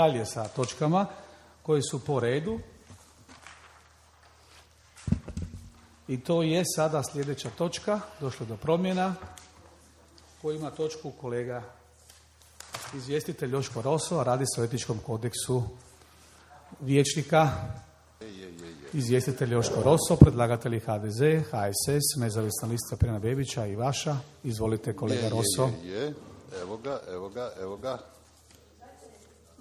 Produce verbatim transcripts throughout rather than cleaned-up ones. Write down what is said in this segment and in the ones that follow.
dalje sa točkama koje su po redu. I to je sada sljedeća točka, došlo do promjena, koji ima točku kolega izvjestitelj Joško Roso, a radi se o etičkom kodeksu vijećnika. Izvjestitelj Joško Roso, predlagatelji H D Z, H S S, nezavisna lista Pirana Bebića i vaša. Izvolite kolega je, Roso. Je, je, je. Evo ga, evo ga, evo ga.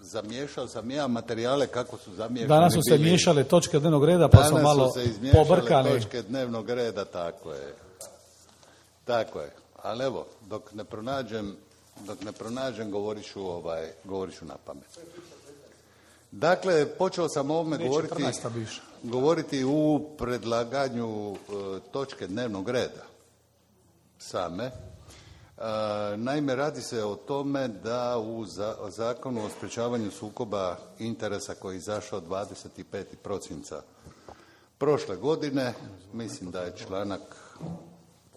Zamiješao sam ja materijale kako su zamiješani. Danas su se bili. miješale točke dnevnog reda, pa su malo pobrkani. Danas su se točke dnevnog reda, tako je. Tako je. Ali evo, dok ne pronađem, dok ne pronađem, govorit ću, ovaj, govorit ću na pamet. Dakle, počeo sam o ovome govoriti, govoriti u predlaganju e, točke dnevnog reda same. E, naime, radi se o tome da u za, zakonu o sprječavanju sukoba interesa koji je izašao dvadeset petog prosinca prošle godine, mislim da je članak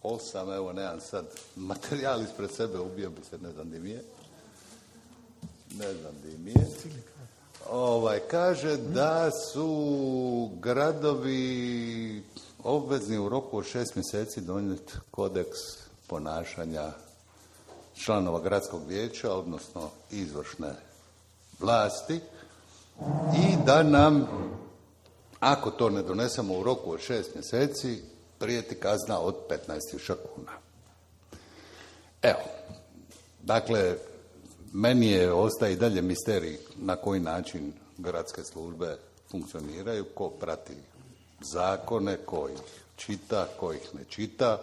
osam, evo nemam sad materijal ispred sebe, ubio bi se, ne znam di mi je. Ne znam di mi je. Ovaj, kaže da su gradovi obvezni u roku od šest mjeseci donijeti kodeks ponašanja članova gradskog vijeća, odnosno izvršne vlasti, i da nam, ako to ne donesemo u roku od šest mjeseci, prijeti kazna od petnaest tisuća kuna. Evo, dakle, meni je, ostaje i dalje misterij na koji način gradske službe funkcioniraju, ko prati zakone, ko ih čita, ko ih ne čita.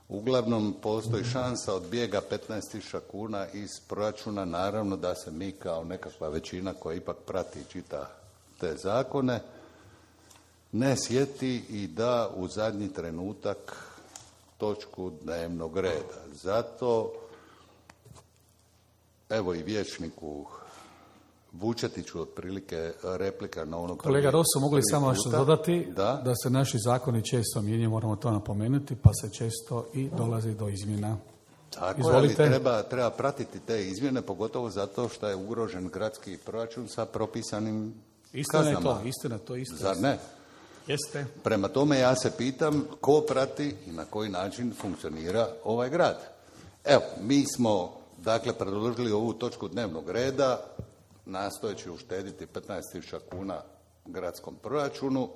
Uglavnom, postoji šansa od bijega petnaest tisuća kuna iz proračuna, naravno da se mi kao nekakva većina koja ipak prati i čita te zakone ne sjeti i da u zadnji trenutak točku dnevnog reda. Zato evo i vijećniku Vučetiću otprilike replika na ono... Kolega Roso, mogu li samo nešto dodati? Da? Da se naši zakoni često mijenjaju, moramo to napomenuti, pa se često i dolazi do izmjena. Tako je, ali treba, treba pratiti te izmjene, pogotovo zato što je ugrožen gradski proračun sa propisanim istina kaznama. Je to, istina, to istina. Zar ne? Jeste. Prema tome ja se pitam ko prati i na koji način funkcionira ovaj grad. Evo, mi smo dakle predložili ovu točku dnevnog reda, nastojeći uštediti petnaest tisuća kuna gradskom proračunu.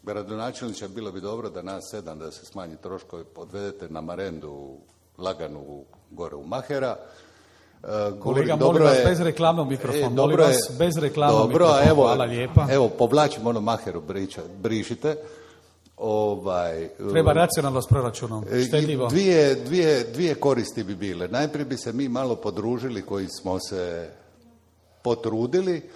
Gradonačelniče, bilo bi dobro da nas sedam, da se smanji troškovi, odvedete na marendu laganu gore u Mahera. Uh, Kolega, molim vas, bez reklamnog mikrofona, e, molim vas, bez reklamnog mikrofona, evo, hvala lijepa. Evo, povlačimo ono Maheru, briča, brišite. Ovaj, Treba racionalno s proračunom, štedljivo. Dvije, dvije, dvije koristi bi bile. Najprije bi se mi malo podružili koji smo se potrudili,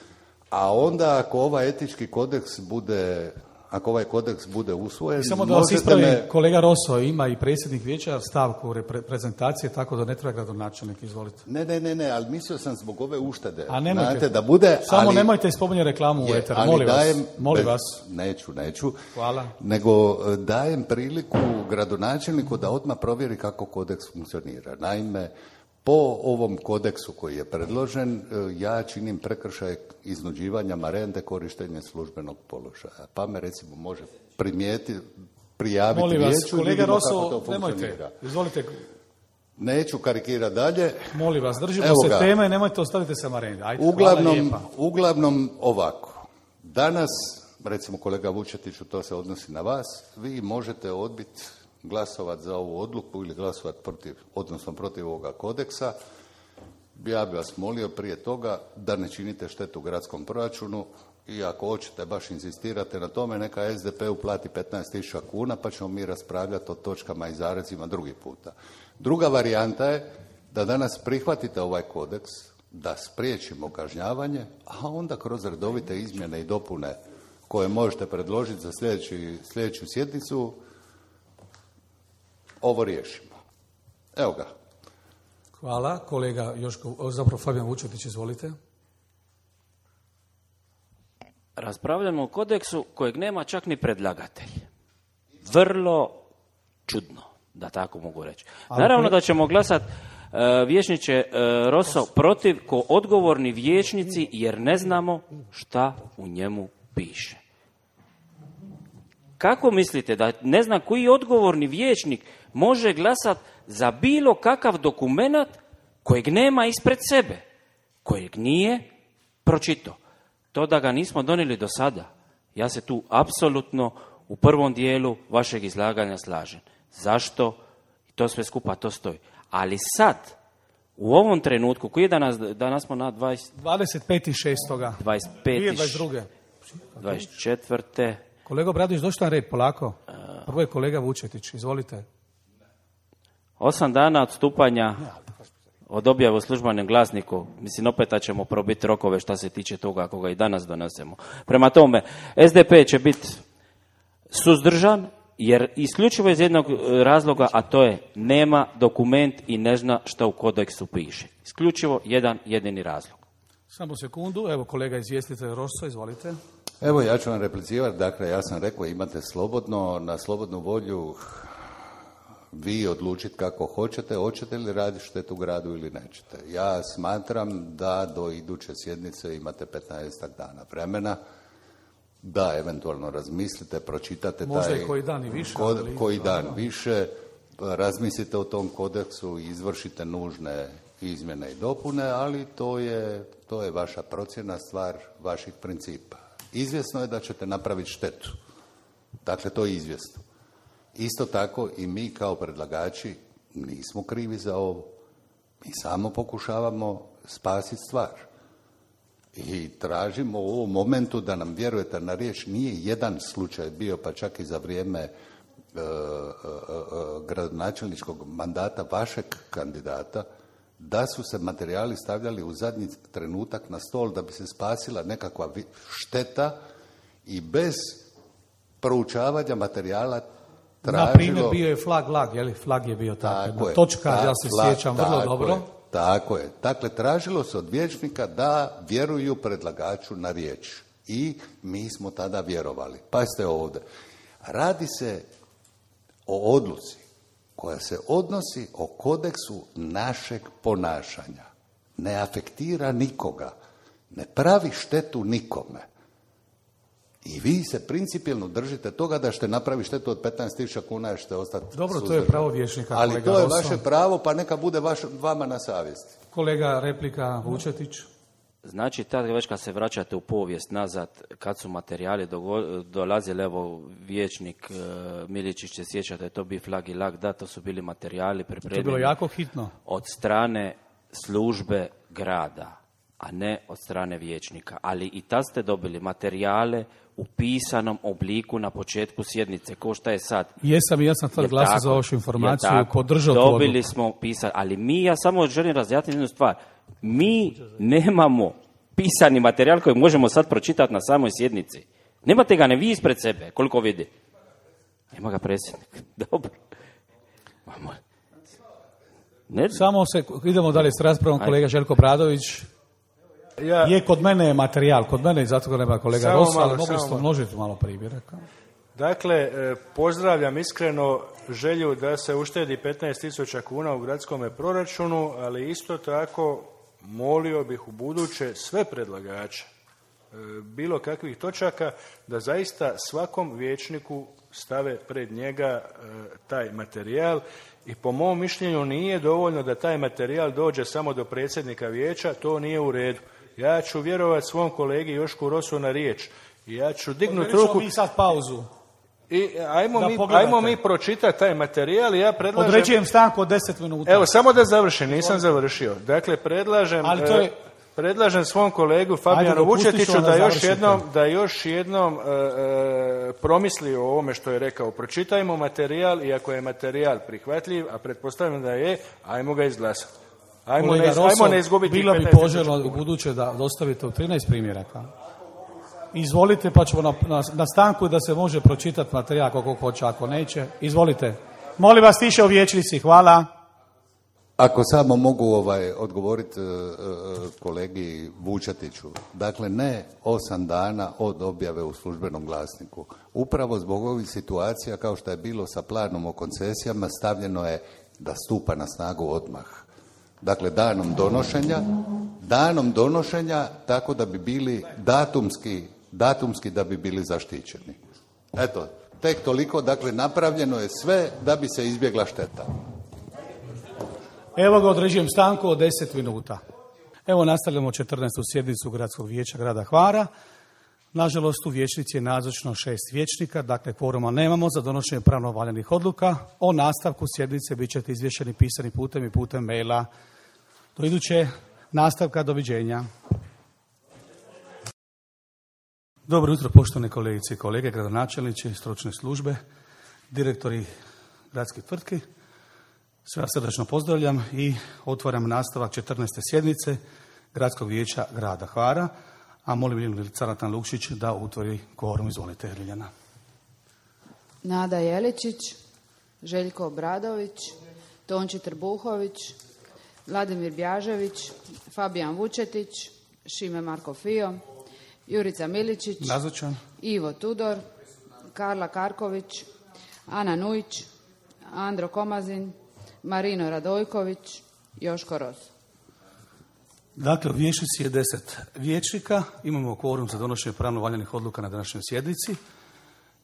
a onda ako ovaj etički kodeks bude, ako ovaj kodeks bude usvojen... Samo da vas ispravim, me... kolega Roso, ima i predsjednik vijeća stavku repre- prezentacije, tako da ne treba gradonačelnik, izvolite. Ne, ne, ne, ne, ali mislio sam zbog ove uštede. A nemojte, znate, da bude, samo ali, nemojte spominjati reklamu u eteru, molim dajem, vas. Molim bez, vas. Neću, neću. Hvala. Nego dajem priliku gradonačelniku da odmah provjeri kako kodeks funkcionira. Naime, po ovom kodeksu koji je predložen, ja činim prekršaj iznuđivanja marende, korištenje službenog položaja. Pa me recimo može primijeti, prijaviti molim vas, vijeću, kolega vidimo Roso, kako to nemojte, funkcionira. izvolite. Neću karikirati dalje. Molim vas, držimo Evo se ga. teme i nemojte ostaviti se marende. Ajde, uglavnom, uglavnom ovako. Danas, recimo kolega Vučetiću, to se odnosi na vas, vi možete odbiti glasovati za ovu odluku ili glasovati protiv, odnosno protiv ovoga kodeksa. Ja bih vas molio prije toga da ne činite štetu gradskom proračunu i ako hoćete baš inzistirate na tome, neka es de pe uplati petnaest tisuća kuna pa ćemo mi raspravljati o točkama i zarezima drugi puta. Druga varijanta je da danas prihvatite ovaj kodeks, da spriječimo kažnjavanje, a onda kroz redovite izmjene i dopune koje možete predložiti za sljedeći, sljedeću sjednicu ovo riješimo. Evo ga. Hvala. Kolega Joško, zapravo Fabijan Vučetić, izvolite. Raspravljamo o kodeksu kojeg nema čak ni predlagatelj. Vrlo čudno, da tako mogu reći. Naravno da ćemo glasati e, vijećniče e, Roso, protiv ko odgovorni vijećnici jer ne znamo šta u njemu piše. Kako mislite da ne znam koji odgovorni vijećnik može glasati za bilo kakav dokumenat kojeg nema ispred sebe, kojeg nije pročitao? To da ga nismo donijeli do sada, ja se tu apsolutno u prvom dijelu vašeg izlaganja slažem. Zašto? To sve skupa to stoji. Ali sad, u ovom trenutku, koji je danas, danas smo na dvadeset... dvadeset peti šesti dvadeset peti dvadeset druge dvadeset četvrte Kolega Obradović, došli na red, polako. Prvo je kolega Vučetić, izvolite. Osam dana od stupanja od objave u službenom glasniku, mislim, opet ćemo probiti rokove što se tiče toga ako ga i danas donesemo. Prema tome, S D P će biti suzdržan, jer isključivo iz jednog razloga, a to je nema dokument i ne zna šta u kodeksu piše. Isključivo jedan jedini razlog. Samo sekundu, evo kolega izvjestitelj Rosso, izvolite. Evo, ja ću vam replicirati. Dakle, ja sam rekao, imate slobodno, na slobodnu volju vi odlučiti kako hoćete, hoćete li raditi štetu gradu ili nećete. Ja smatram da do iduće sjednice imate petnaestak dana vremena, da eventualno razmislite, pročitate Možda taj i koji dan i više, kod, ali- koji dan više, razmislite o tom kodeksu i izvršite nužne izmjene i dopune, ali to je, to je vaša procjena, stvar vaših principa. Izvjesno je da ćete napraviti štetu. Dakle, to je izvjesno. Isto tako i mi kao predlagači nismo krivi za ovo. Mi samo pokušavamo spasiti stvar. I tražimo u ovom momentu da nam vjerujete na riječ. Nije jedan slučaj bio, pa čak i za vrijeme e, e, e, gradonačelničkog mandata vašeg kandidata, da su se materijali stavljali u zadnji trenutak na stol da bi se spasila nekakva vi- šteta i bez proučavanja materijala tražilo... Na primjer, bio je flag lag, je li? Flag je bio tako. Tako jedna je. točka, Ta- ja se fla- sjećam vrlo tako dobro. je, tako je. Dakle, tražilo se od vijećnika da vjeruju predlagaču na riječ. I mi smo tada vjerovali. Pazite ovdje. Radi se o odluci koja se odnosi o kodeksu našeg ponašanja. Ne afektira nikoga. Ne pravi štetu nikome. I vi se principijelno držite toga da ćete napraviti štetu od petnaest tisuća kuna i ćete ostati Dobro, to je suzdržani. pravo vijećnika, Ali kolega to je Rosso. vaše pravo, pa neka bude vaš, vama na savjesti. Kolega replika Vučetić. Znači, tad već kad se vraćate u povijest nazad, kad su materijali dogo- dolazili, evo, vijećnik e, Miličić se sjeća da je to bio flag i lag, da, to su bili materijali To je bilo pripremljeni jako hitno. od strane službe grada, a ne od strane vijećnika. Ali i tad ste dobili materijale u pisanom obliku na početku sjednice, ko šta je sad. Jesam i ja sam tad Jel glasao tako? za vašu informaciju, Jel tako? podržao tu Dobili odluku. smo pisani, ali mi, ja samo želim razjasniti jednu stvar. Mi nemamo pisani materijal koji možemo sad pročitati na samoj sjednici. Nemate ga ne vi ispred sebe, koliko vidi. Nema ga predsjednik. Dobro. Mamo. Ne, Samo se, idemo dalje s raspravom, kolega Željko Bradović. Ja, Je, kod mene je materijal, kod mene i zato ga nema kolega Samo Rosso, malo, ali mogli samo ste malo. množiti malo primjeraka. dakle, e, pozdravljam iskreno želju da se uštedi petnaest tisuća kuna u gradskom proračunu, ali isto tako molio bih u buduće sve predlagače e, bilo kakvih točaka da zaista svakom vijećniku stave pred njega e, taj materijal i po mom mišljenju nije dovoljno da taj materijal dođe samo do predsjednika vijeća, to nije u redu. Ja ću vjerovati svom kolegi Jošku Rosu na riječ i ja ću dignuti Odredit ćemo ruku mi sad pauzu. i ajmo Da mi, pogledate. ajmo mi pročitati taj materijal i ja predlažem... Određujem stanku od deset minuta. Evo, samo da završim, nisam završio. Dakle, predlažem, Ali to je- e, predlažem svom kolegu Fabijanu dopustit ću Vučetiću vam da da još završite. jednom, da još jednom e, e, promisli o ovome što je rekao. Pročitajmo materijal i ako je materijal prihvatljiv, a pretpostavljam da je, ajmo ga izglasati. Ajmo, Kolega ne, iz- Rosso, ajmo ne izgubiti bilo bi petnaest tisuća poželjno u kuna. buduće da dostavite u trinaest primjeraka. Izvolite, pa ćemo na, na, na stanku da se može pročitati materijal kako hoće, ako neće. Izvolite. Molim vas tiše u vijećnici, hvala. Ako samo mogu ovaj, odgovoriti e, e, kolegi Vučetiću. Dakle, ne osam dana od objave u službenom glasniku. Upravo zbog ovih situacija, kao što je bilo sa planom o koncesijama, stavljeno je da stupa na snagu odmah. Dakle, danom donošenja, danom donošenja tako da bi bili datumski, datumski da bi bili zaštićeni. Eto, tek toliko, dakle, napravljeno je sve da bi se izbjegla šteta. Evo ga, određujem stanku od deset minuta. Evo nastavljamo četrnaestu sjednicu Gradskog vijeća grada Hvara. Nažalost, u vijećnici je nazočno šest vijećnika, dakle kvoruma nemamo za donošenje pravno valjanih odluka. O nastavku sjednice bit ćete izvješćeni pisanim putem i putem maila. Do iduće nastavka, doviđenja. Dobro jutro, poštovane kolegice i kolege, gradonačelnici, stručne službe, direktori gradskih tvrtki. Sve vas srdačno pozdravljam i otvaram nastavak četrnaeste sjednice Gradskog vijeća grada Hvara, a molim Ljiljanu Caratan Lukšić da utvori kvorum. Izvolite, Ljiljana. Nada Jeličić, Željko Obradović, Tonči Trbuhović, Vladimir Bjažević, Fabijan Vučetić, Šime Marko Fio, Jurica Miličić, Nazočan. Ivo Tudor, Karla Karković, Ana Nujić, Andro Komazin, Marino Radojković, Joško Ros. Dakle, u vijećnici je deset vijećnika, imamo kvorum za donošenje pravno valjanih odluka na današnjoj sjednici.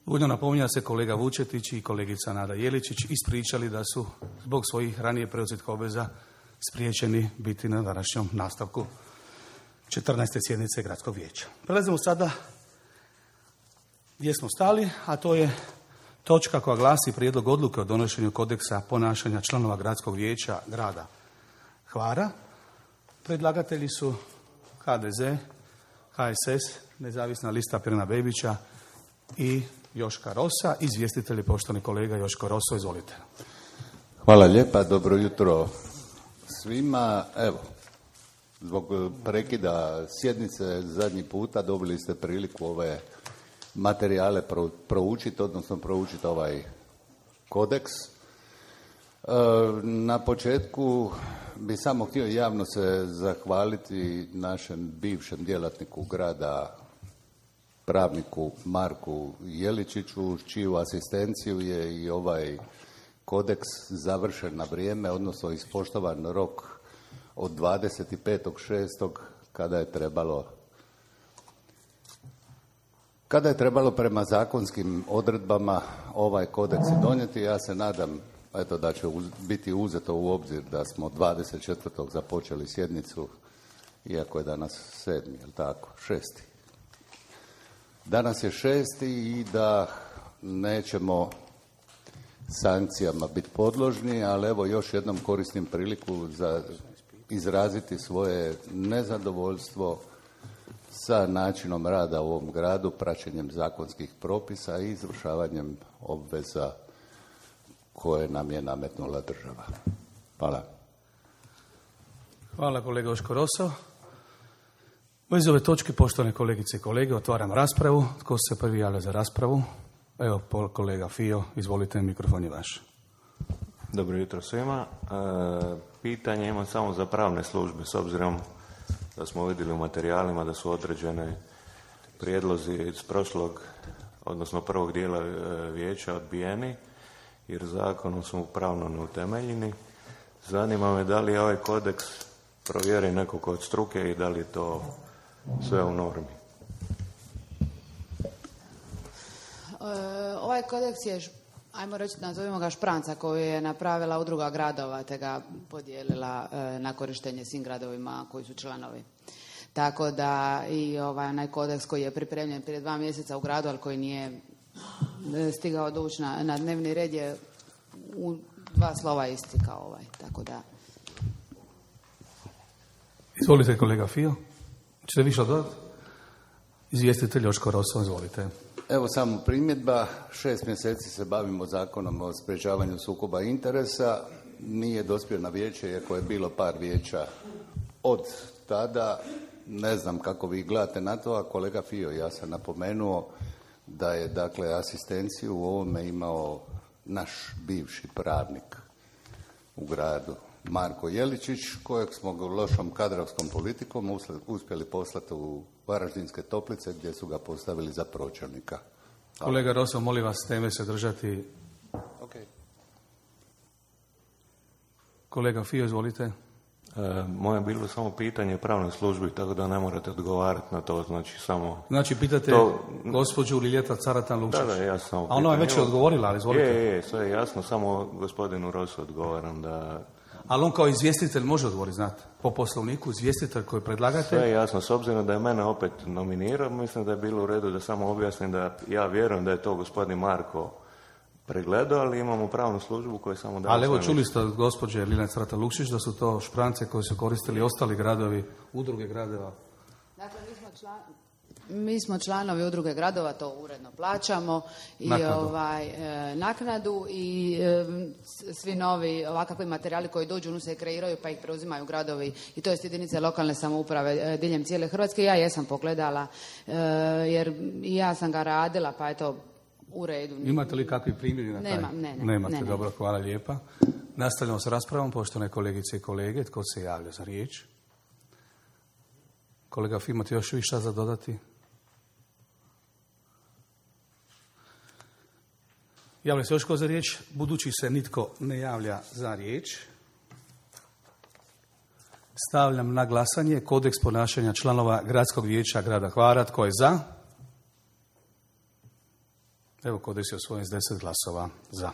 Ujedno napominja se kolega Vučetić i kolegica Nada Jeličić ispričali da su zbog svojih ranije preuzetih obveza spriječeni biti na današnjom nastavku četrnaeste sjednice Gradskog vijeća. Prelazimo sada gdje smo stali, a to je točka koja glasi prijedlog odluke o donošenju kodeksa ponašanja članova Gradskog vijeća grada Hvara. Predlagatelji su H D Z, H S S, Nezavisna lista Pirana Bebića i Joška Rosa. Izvjestitelj je poštovani kolega Joško Roso, izvolite. Hvala lijepa, dobro jutro svima. Evo, zbog prekida sjednice zadnji puta dobili ste priliku ove materijale proučiti, odnosno proučiti ovaj kodeks. Na početku bi samo htio javno se zahvaliti našem bivšem djelatniku grada, pravniku Marku Jeličiću, čiju asistenciju je i ovaj kodeks završen na vrijeme, odnosno ispoštovan rok od dvadeset petog šestog kada je trebalo kada je trebalo prema zakonskim odredbama ovaj kodeks donijeti. Ja se nadam eto da će uz, biti uzeto u obzir da smo dvadeset četvrtog započeli sjednicu, iako je danas sedmi, jel tako, šesti. Danas je šesti i da nećemo sankcijama biti podložni, ali evo još jednom koristim priliku za izraziti svoje nezadovoljstvo sa načinom rada u ovom gradu, praćenjem zakonskih propisa i izvršavanjem obveza koje nam je nametnula država. Hvala. Hvala kolega Joško Roso. U vezi ove točke, poštovane kolegice i kolege, otvaram raspravu. Tko se prvi javlja za raspravu? Evo, kolega Fio, izvolite, mikrofon je vaš. Dobro jutro svima. E, pitanje imam samo za pravne službe, s obzirom da smo vidjeli u materijalima da su određene prijedlozi iz prošlog, odnosno prvog dijela vijeća odbijeni, jer zakonom su pravno neutemeljeni. Zanima me da li je ovaj kodeks provjeri nekog od struke i da li je to sve u normi. E, ovaj kodeks je, ajmo reći, nazovimo ga špranca koju je napravila udruga gradova te ga podijelila e, na korištenje svim gradovima koji su članovi. Tako da i ovaj onaj kodeks koji je pripremljen prije dva mjeseca u gradu, ali koji nije stigao doći na, na dnevni red, je u dva slova isti kao ovaj. Tako da. Izvolite kolega Fio. Čete više dodati? Izvjestitelj Joško Roso, izvolite. Evo samo primjedba. Šest mjeseci se bavimo zakonom o sprječavanju sukoba interesa. Nije dospio na vijeće, iako je bilo par vijeća od tada. Ne znam kako vi gledate na to, a kolega Fio, ja sam napomenuo da je dakle asistenciju u ovome imao naš bivši pravnik u gradu, Marko Jeličić, kojeg smo lošom kadrovskom politikom uspjeli poslati u Varaždinske Toplice, gdje su ga postavili za pročelnika. Kolega Roso, molim vas teme se držati. Okay. Kolega Fio, izvolite. E, moje je bilo samo pitanje pravnoj službi, tako da ne morate odgovarati na to, znači samo... Znači, pitate to... gospođu Liljeta Caratan Lukšić. Da, da, ja sam... A ona je već odgovorila, ali izvolite. Je, je, sve je jasno, samo gospodinu Rosu odgovaram da... Ali on kao izvjestitelj može odgovoriti, znate, po poslovniku, izvjestitelj koji je predlagatelj. Sve je jasno, s obzirom da je mene opet nominirao, mislim da je bilo u redu da samo objasnim da ja vjerujem da je to gospodin Marko pregledao, ali imamo pravnu službu koja samo daje... Ali evo, čuli ste od gospođe Liljane Caratan Lukšić da su to šprance koje su koristili ostali gradovi, udruge gradova. Dakle, mi smo, član, mi smo članovi udruge gradova, to uredno plaćamo i Naknadu. ovaj, e, naknadu i e, svi novi ovakvi materijali koji dođu, onu se kreiraju pa ih preuzimaju gradovi i to jest jedinice lokalne samouprave e, diljem cijele Hrvatske. Ja jesam pogledala e, jer i ja sam ga radila, pa eto, u redu. Imate li kakvi primjeri na taj? Nemam, ne, ne. Nemate, ne, ne. dobro, hvala lijepa. Nastavljamo s raspravom, poštovane kolegice i kolege. Tko se javlja za riječ? Kolega Fim, imate još više za dodati? Javlja se još tko za riječ? Budući se nitko ne javlja za riječ, stavljam na glasanje kodeks ponašanja članova Gradskog vijeća grada Hvara. Tko je za? Evo, kodeks je osvojen s deset glasova za.